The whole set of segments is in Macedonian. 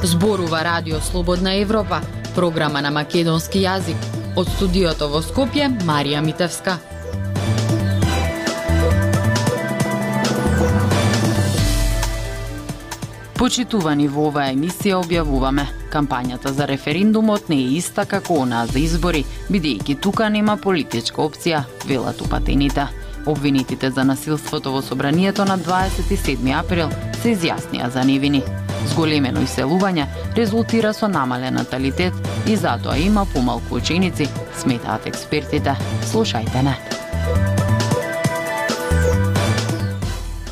Зборува Радио Слободна Европа, програма на македонски јазик. Од студиото во Скопје, Марија Митевска. Почитувани, во оваа емисија објавуваме: кампањата за референдумот не е иста како онаа за избори, бидејќи тука нема политичка опција, велат упатените. Обвинетите за насилството во собранието на 27 април се изјаснија за невини. Зголемено иселување резултира со намален наталитет и затоа има помалку ученици, сметаат експертите. Слушајте не.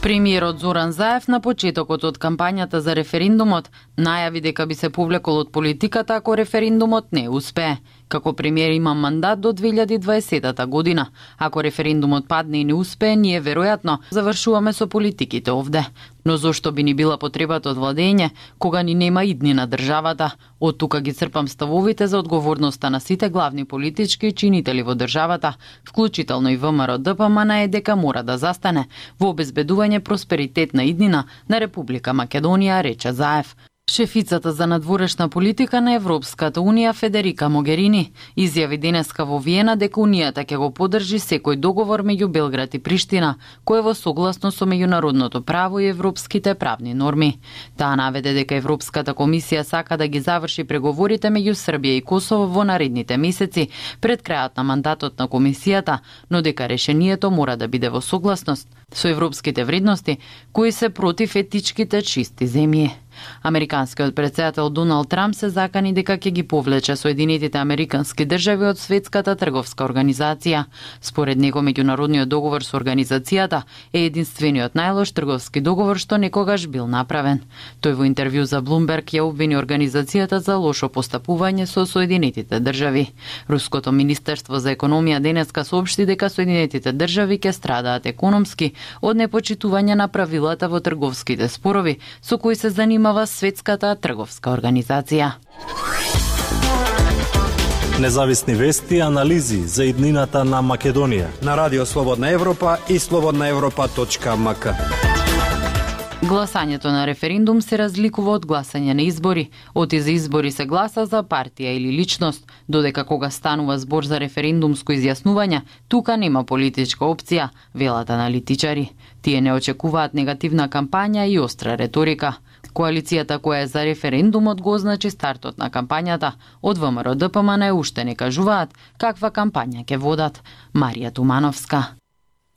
Премиерот Зоран Заев на почетокот од кампањата за референдумот најави дека би се повлекол од политиката ако референдумот не успее. Како премиер има мандат до 2020 година. Ако референдумот падне и не успее, ние веројатно завршуваме со политиките овде. Но зошто би ни била потребата од владење, кога ни нема идни на државата? Од тука ги црпам ставовите за одговорноста на сите главни политички чинители во државата, вклучително и ВМРО ДПМН е дека мора да застане во обезбедување просперитет на иднина на Република Македонија, рече Заев. Шефицата за надворешна политика на Европската Унија Федерика Могерини изјави денеска во Виена дека Унијата ќе го поддржи секој договор меѓу Белград и Приштина, кој е во согласно со меѓународното право и европските правни норми. Таа наведе дека Европската комисија сака да ги заврши преговорите меѓу Србија и Косово во наредните месеци пред крајот на мандатот на комисијата, но дека решението мора да биде во согласност со европските вредности кои се против етичките чисти земји. Американскиот претседател Доналд Трамп се закани дека ќе ги повлече Соединетите Американски држави од Светската трговска организација. Според него меѓународниот договор со организацијата е единствениот најлош трговски договор што некогаш бил направен. Тој во интервју за Bloomberg ја обвини организацијата за лошо постапување со Соединетите држави. Руското министерство за економија денеска соопшти дека Соединетите држави ќе страдаат економски од непочитување на правилата во трговските спорови со кои се занимава Светската трговска организација. Независни вести и анализи за иднината на Македонија на Радио Слободна Европа и slobodnaevropa.mk. Гласањето на референдум се разликува од гласање на избори. Оти за избори се гласа за партија или личност, додека кога станува збор за референдумско изјаснување, тука нема политичка опција, велат аналитичари. Тие не очекуваат негативна кампања и остра реторика. Коалицијата која е за референдумот го означи стартот на кампањата. Од ВМРО ДПМН уште не кажуваат каква кампања ќе водат. Марија Тумановска.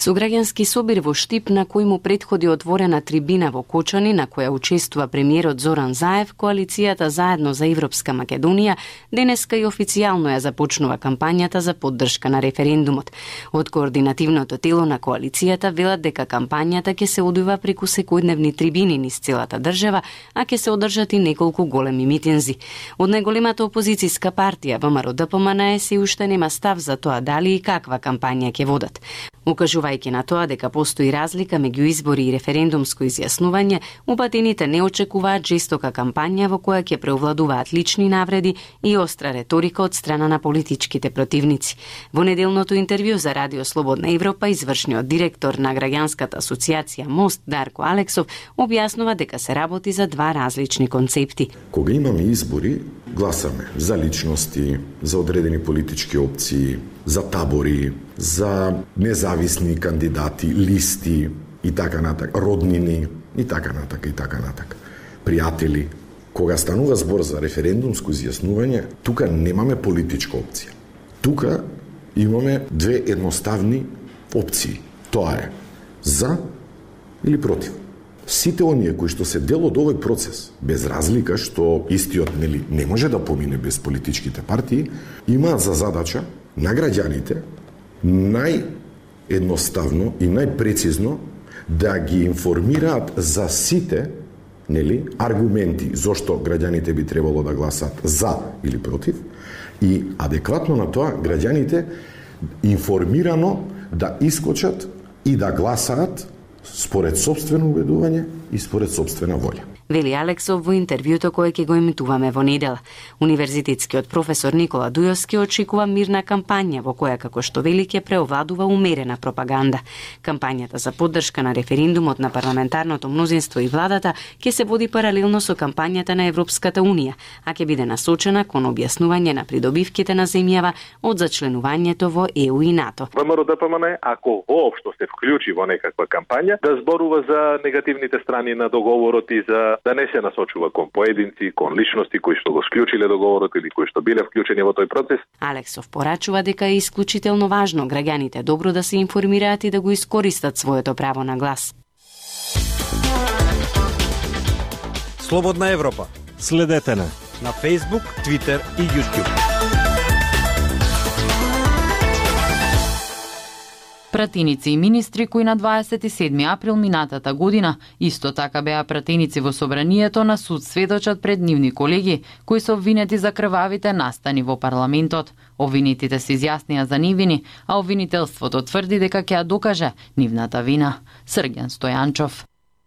Со граѓански собир во Штип, на кој му претходи отворена трибина во Кочани, на која учествува премиерот Зоран Заев, коалицијата Заедно за Европска Македонија денеска и официјално ја започнува кампањата за поддршка на референдумот. Од координативното тело на коалицијата велат дека кампањата ќе се одвива преку секојдневни трибини низ целата држава, а ќе се одржат и неколку големи митинзи. Од најголемата опозицијска партија ВМРО ДПМН се уште нема став за тоа дали и каква кампања ќе водат. Укажувајќи на тоа дека постои разлика меѓу избори и референдумско изјаснување, упатените не очекуваат жестока кампања во која ќе преовладуваат лични навреди и остра реторика од страна на политичките противници. Во неделното интервју за Радио Слободна Европа, извршниот директор на граѓанската асоциација Мост Дарко Алексов објаснува дека се работи за два различни концепти. Кога имаме избори, гласаме за личности, за одредени политички опции, за табори, за независни кандидати, листи и така натак, роднини и така натак и така натак, пријатели. Кога станува збор за референдумско изјаснување, тука немаме политичка опција. Тука имаме две едноставни опции. Тоа е за или против. Сите оние кои што се дел од овој процес, без разлика што истиот не може да помине без политичките партии, имаат за задача на граѓаните наједноставно и најпрецизно да ги информираат за сите аргументи зошто граѓаните би требало да гласат за или против и адекватно на тоа граѓаните информирано да искочат и да гласаат според сопствено убедување и според сопствена волја. вели Алексов во интервјуто кое ќе го емитуваме во недела. Универзитетскиот професор Никола Дујовски очекува мирна кампања во која, како што вели, ќе преовладува умерена пропаганда. Кампањата за поддршка на референдумот на парламентарното мнозинство и владата ќе се води паралелно со кампањата на Европската Унија, а ќе биде насочена кон објаснување на придобивките на земјава од зачленувањето во ЕУ и НАТО. ВМРО-ДПМН, ако воопшто се вклучи во некаква кампања, да зборува за негативните страни на договорот и за да не се насочува кон поединци, кон личности кои што го склучиле договорот или кои што биле вклучени во тој процес. Алексов порачува дека е исклучително важно граѓаните добро да се информираат и да го искористат своето право на глас. Слободна Европа. Следете на Facebook, Twitter и YouTube. Пратеници и министри кои на 27 април минатата година исто така беа пратеници во собранието на суд сведочат пред нивни колеги кои се обвинети за крвавите настани во парламентот. Обвинетите се изјаснија за невини, а обвинителството тврди дека ќе ја докаже нивната вина. Срѓан Стојанчов.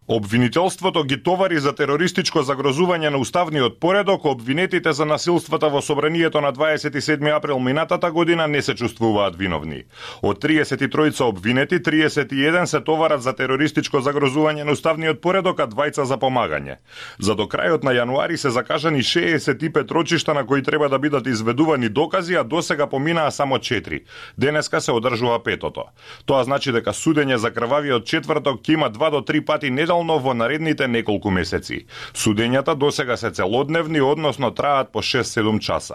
Обвинителството ги товари за терористичко загрозување на уставниот поредок, обвинетите за насилствата во собранието на 27 април минатата година не се чувствуваат виновни. Од 33 обвинети, 31 се товарат за терористичко загрозување на уставниот поредок, а 2 за помагање. За до крајот на јануари се закажани 65 рочишта на кои треба да бидат изведувани докази, а досега поминаа само 4. Денеска се одржува 5-тото. Тоа значи дека судење за крвавиот четврток ќе има 2 до 3 пати неделно во наредните неколку месеци. Судењата досега се целодневни, односно траат по 6-7 часа.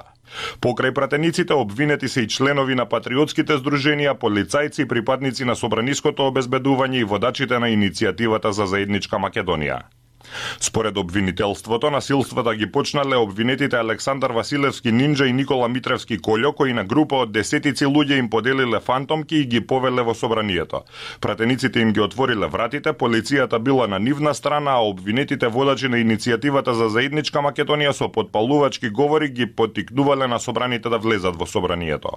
Покрај пратениците обвинети се и членови на патриотските здруженија, полицајци, припадници на собраниското обезбедување и водачите на иницијативата за заедничка Македонија. Според обвинителството, насилствата ги почнале обвинетите Александар Василевски Нинџа и Никола Митревски Колјо, кои на група од десетици луѓе им поделиле фантомки и ги повеле во собранието. Пратениците им ги отвориле вратите, полицијата била на нивна страна, а обвинетите водачи на иницијативата за заедничка Македонија со подпалувачки говори ги поттикнувале на собраните да влезат во собранието.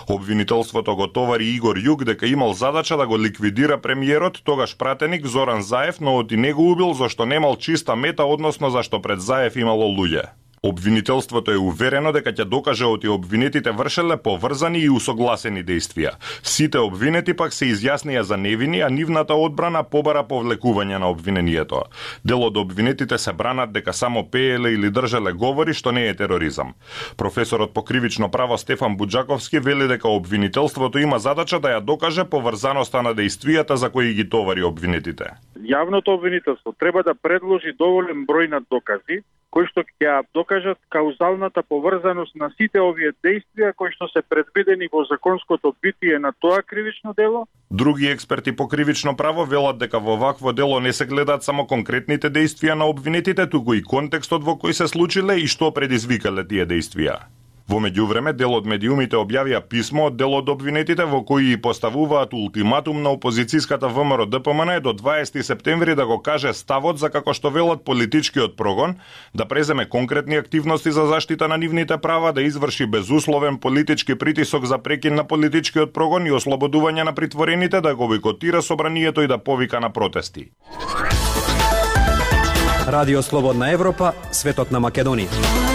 Обвинителството го товари Игор Југ дека имал задача да го ликвидира премиерот, тогаш пратеник Зоран Заев, но од и него убил зашто немал чиста мета, односно зашто пред Заев имало луѓе. Обвинителството е уверено дека ќе докаже оти обвинетите вршеле поврзани и усогласени дејствија. Сите обвинети пак се изјаснија за невини, а нивната одбрана побара повлекување на обвинението. Дел од обвинетите се бранат дека само пееле или држеле говори, што не е тероризам. Професорот по кривично право Стефан Буџаковски вели дека обвинителството има задача да ја докаже поврзаноста на дејствијата за кои ги товари обвинетите. Јавното обвинителство треба да предложи доволен број на докази кои што ќе ја докажат каузалната поврзаност на сите овие дејствија кои што се предвидени во законското битие на тоа кривично дело. Други експерти по кривично право велат дека во вакво дело не се гледаат само конкретните дејствија на обвинетите, туку и контекстот во кој се случиле и што предизвикале тие дејствија. Во меѓувреме, дел од медиумите објавија писмо од дел од обвинетите во кои поставуваат ултиматум на опозицијската ВМРО-ДПМН до 20 септември да го каже ставот за, како што велат, политичкиот прогон, да преземе конкретни активности за заштита на нивните права, да изврши безусловен политички притисок за прекин на политичкиот прогон и ослободување на притворените, да го бойкотира собранието и да повика на протести. Радио Слободна Европа, светот на Македонија.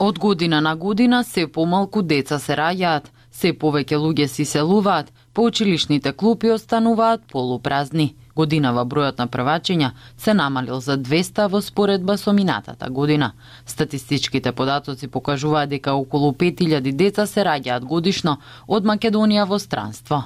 Од година на година се помалку деца се раѓаат, се повеќе луѓе се иселуваат, по училишните клупи остануваат полупразни. Годинава бројот на првачења се намалил за 200 во споредба со минатата година. Статистичките податоци покажуваат дека околу 5000 деца се раѓаат годишно од Македонија во странство.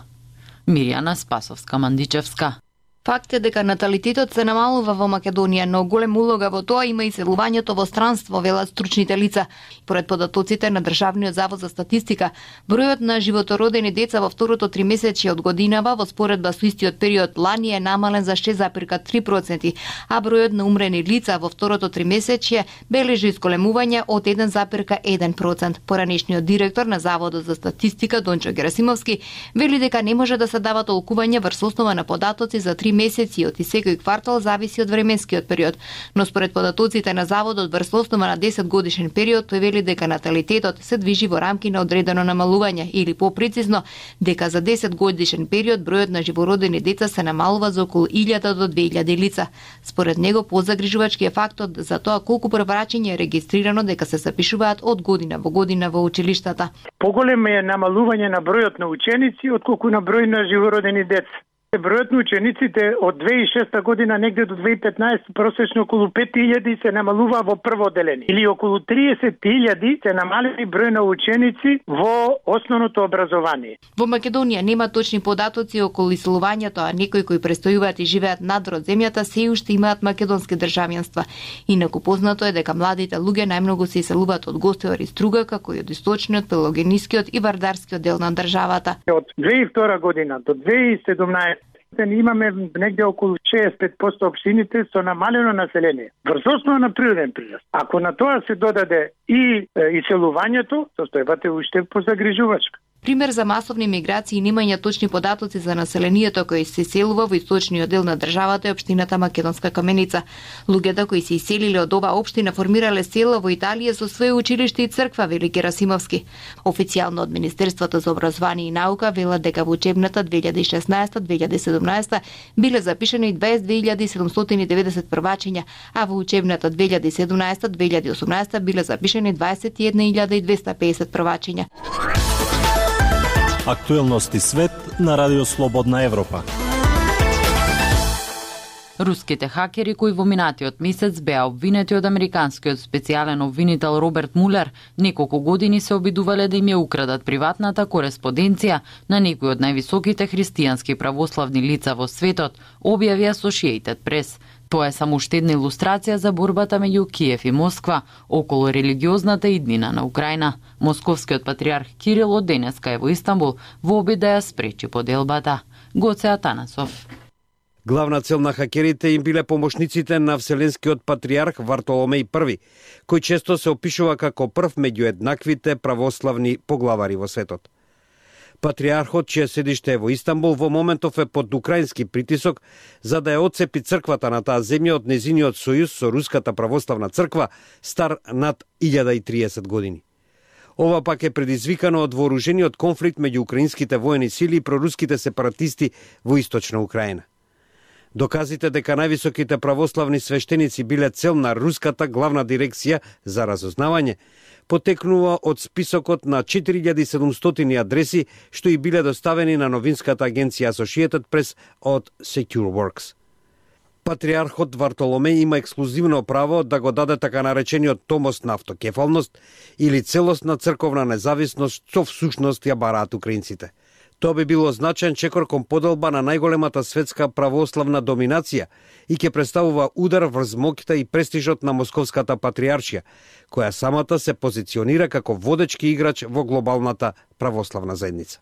Мирјана Спасовска-Мандичевска. Факт е дека наталитетот се намалува во Македонија, но голем улога во тоа има и селувањето во странство, велат стручните лица. Поред податоците на Државниот завод за статистика, бројот на животородени деца во второто тримесечје од годинава во споредба со истиот период лани е намален за 6,3%, а бројот на умрени лица во второто тримесечје бележи исколемување од 1,1%. Поранешниот директор на Заводот за статистика Дончо Герасимовски вели дека не може да се дава толкување врз основа на податоци за 3 месеци од секој квартал зависи од временскиот период, но според податоците на заводот врз основа на 10 годишен период тој вели дека наталитетот се движи во рамки на одредено намалување или попрецизно дека за 10 годишен период бројот на живородени деца се намалува за околу 1000 до 2000 лица. Според него позагрижувачки е фактот за тоа колку преврачење е регистрирано дека се запишуваат од година во година во училиштата. Поголемо е намалување на бројот на ученици отколку на број на живородени деца. Бројот на учениците од 2006 година негде до 2015 просечно околу 5000 се намалува во прво одделение или околу 30.000 се намалени број на ученици во основното образование. Во Македонија нема точни податоци околу иселувањето, а некои кои престојуваат и живеат надвор од земјата се уште имаат македонски државјанства. Инаку познато е дека младите луѓе најмногу се иселуваат од Гостивар и Струга, како и од источниот, пелагонискиот и вардарскиот дел на државата. Од 2002 година до 2017 имаме негде околу 65% општините со намалено население, врз основа на природен прираст. Ако на тоа се додаде и иселувањето, состојбата е уште позагрижувачка. Пример за масовни миграции и немање точни податоци за населението кој се иселува во источниот дел на државата е општината Македонска Каменица. Луѓето кои се иселиле од оваа општина формирале села во Италија со свое училиште и црква, вели Герасимовски. Официјално од Министерството за образование и наука велат дека во учебната 2016-2017 биле запишани 22.790 првачења, а во учебната 2017-2018 биле запишани 21.250 првачења. Актуелности свет на Радио Слободна Европа. Руските хакери кои во минатиот месец беа обвинети од американскиот специјален обвинител Роберт Мулер, неколку години се обидувале да им ја украдат приватната кореспонденција на некои од највисоките христијански православни лица во светот, објави Associated Press. Тоа е само уште една илустрација за борбата меѓу Киев и Москва околу религиозната иднина на Украина. Московскиот патриарх Кирил од денеска е во Истанбул во обид да ја спречи поделбата. Гоце Атанасов. Главна цел на хакерите им биле помошниците на Вселенскиот патриарх Вартоломеј I, кој често се опишува како прв меѓу еднаквите православни поглавари во светот. Патриархот, чие седиште е во Истанбул, во моментов е под украински притисок за да ја отцепи црквата на таа земја од незиниот сојуз со Руската православна црква, стар над 1030 години. Ова пак е предизвикано од вооружениот конфликт меѓу украинските воени сили и проруските сепаратисти во источна Украина. Доказите дека највисоките православни свештеници биле цел на Руската главна дирекција за разузнавање потекнува од списокот на 4700 адреси што и биле доставени на новинската агенција Associated Press од SecureWorks. Патриархот Вартоломеј има ексклузивно право да го даде така наречениот томос на автокефалност или целосна црковна независност што всушност ја бараат украинците. Тоа би било значаен чекор кон поделба на најголемата светска православна доминација и ќе представува удар врз моќта и престижот на Московската патриаршија, која самата се позиционира како водечки играч во глобалната православна заедница.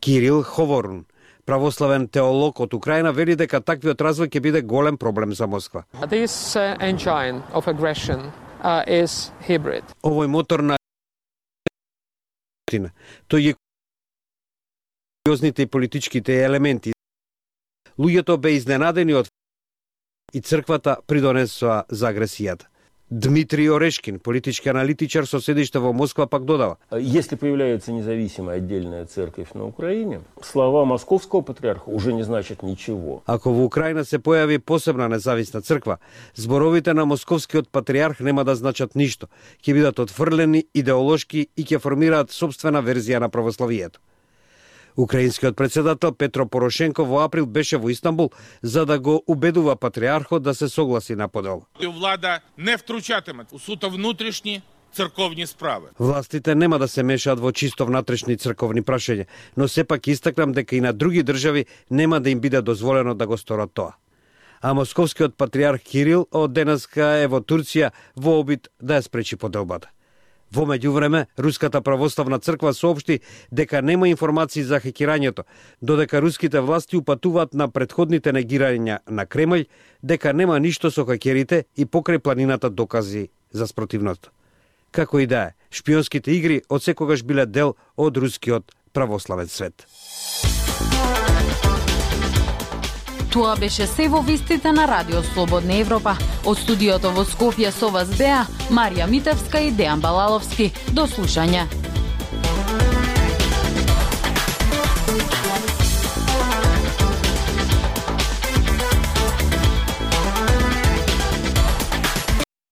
Кирил Ховорун, православен теолог од Украина, вели дека таквиот развој ќе биде голем проблем за Москва. This engine of aggression is hybrid. Овој мотор на тој е и политичките елементи. Луѓето бе изненадени од и црквата придонесоа за агресијата. Дмитрий Орешкин, политички аналитичар со седиште во Москва, пак додава. Если появляется независимая отдельная церковь на Украине, слова московского патриарха уже не значат ничего. Ако во Украина се појави посебна независна црква, зборовите на московскиот патриарх нема да значат ништо. Ќе бидат отфрлени идеолошки и ќе формираат собствена верзија на православието. Украинскиот председател Петро Порошенко во април беше во Истанбул за да го убедува патриархот да се согласи на подел. Влада не втручатиме у суто внутришни црковни справи. Властите нема да се мешаат во чисто внатрешни црковни прашања, но сепак истакнам дека и на други држави нема да им биде дозволено да го сторат тоа. А московскиот патриарх Кирил од денеска е во Турција во обид да ја спречи поделбата. Во меѓувреме, Руската православна црква соопшти дека нема информации за хакирањето, додека руските власти упатуваат на претходните негирања на Кремљ дека нема ништо со хакерите и покрај планината докази за спротивното. Како и да е, шпионските игри одсекогаш биле дел од рускиот православен свет. Тоа беше се во вестите на Радио Слободна Европа. Од студиото во Скопје со вас беа Марија Митевска и Дејан Балаловски. До слушање.